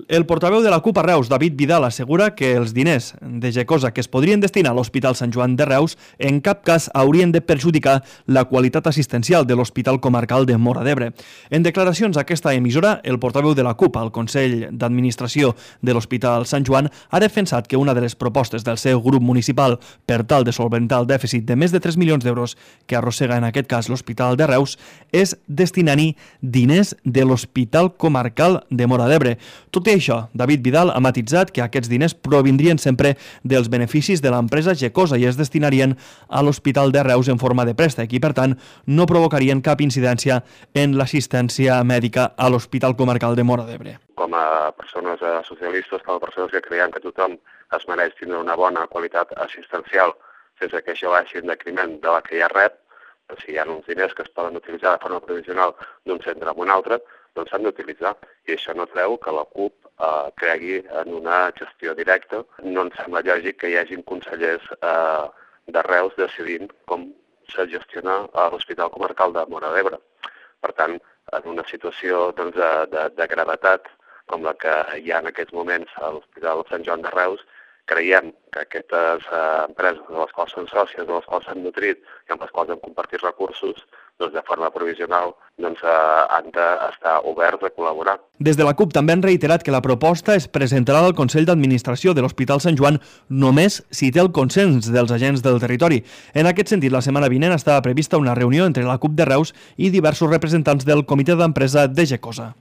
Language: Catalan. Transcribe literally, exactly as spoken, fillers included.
El portaveu de la CUP a Reus, David Vidal, assegura que els diners de Gecosa que es podrien destinar a l'Hospital Sant Joan de Reus en cap cas haurien de perjudicar la qualitat assistencial de l'Hospital Comarcal de Móra d'Ebre. En declaracions a aquesta emissora, el portaveu de la CUP al Consell d'Administració de l'Hospital Sant Joan ha defensat que una de les propostes del seu grup municipal per tal de solventar el dèficit de més de tres milions d'euros que arrossega en aquest cas l'Hospital de Reus és destinar-hi diners de l'Hospital Comarcal de Móra d'Ebre. Tot i això, David Vidal ha matitzat que aquests diners provindrien sempre dels beneficis de l'empresa Gecosa i es destinarien a l'Hospital de Reus en forma de préstec i, per tant, no provocarien cap incidència en l'assistència mèdica a l'Hospital Comarcal de Móra d'Ebre. Com a persones socialistes, com a persones que creiem que tothom es mereix tindre una bona qualitat assistencial sense que això vagi en detriment de la que ja rep, si hi ha uns diners que es poden utilitzar de forma provisional d'un centre a un altre, doncs s'han d'utilitzar. I això no treu que la CUP eh, cregui en una gestió directa. No ens sembla lògic que hi hagin consellers eh, de Reus decidint com se gestiona a l'Hospital Comarcal de Móra d'Ebre. Per tant, en una situació doncs, de, de, de gravetat com la que hi ha en aquests moments a l'Hospital Sant Joan de Reus, creiem que aquestes eh, empreses de les quals són sòcies, de les quals s'han nutrit i amb les quals hem compartit recursos, doncs de forma provisional doncs, eh, han d'estar oberts a col·laborar. Des de la CUP també han reiterat que la proposta es presentarà al Consell d'Administració de l'Hospital Sant Joan només si té el consens dels agents del territori. En aquest sentit, la setmana vinent estava prevista una reunió entre la CUP de Reus i diversos representants del comitè d'empresa de Gecosa.